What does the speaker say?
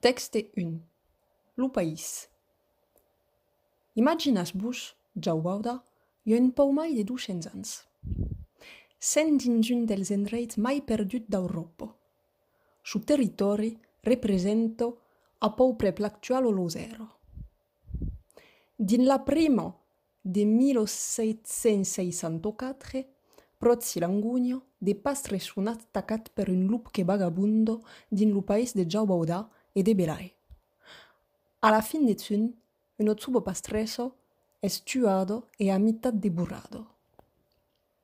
Texte 1. Lo país. Imaginas-vos, Jauauda, un pau mai de 200 ans. Sent dins un dels endreits mai perdut d'Europa. Su territori representa a peu prep l'actual o lo zero. Din la prima de 1764, pròzi l'angugno, de pastres sun attacat per un lup che vagabundo din lo país de Jauauda e de Belai. A la fin de tun, uno tsubo pastreso es tuado e a mitad deburrado.